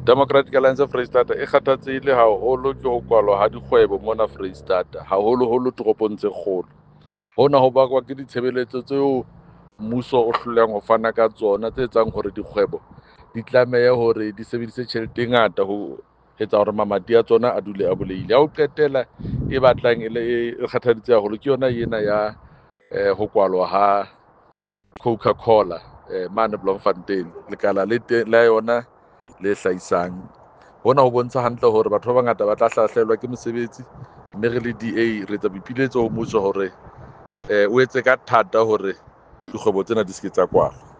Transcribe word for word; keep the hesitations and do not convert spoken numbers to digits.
Democratic Alliance Freistata e kgathatsehile haholo ke ho kwalwa ha dikgwebo mona Freistata, haholoholo toropong tse kgolo. Hona ho bakwa ke ditshebeletso tseo mmuso o hlolehang ho fana ka tsona tse etsang hore dikgwebo di tlamehe hore di sebedise tjhelete e ngata ho etsa hore mamati a tsona a dule a bulehile. Ya ho qetela e batlang e le e kgathaditse haholo ke yona ena ya ho kwalwa ha Coca-Cola mane Bloemfontein, lekala le teng la yona le hlahisang. Hona ho bontsha hantle hore batho ba bangata ba tla hlahlelwa ke mosebetsi, mme re le D A re etsa boipiletso ho mmuso hore o etse ka thata hore dikgwebo tsena di se ke tsa kwalwa.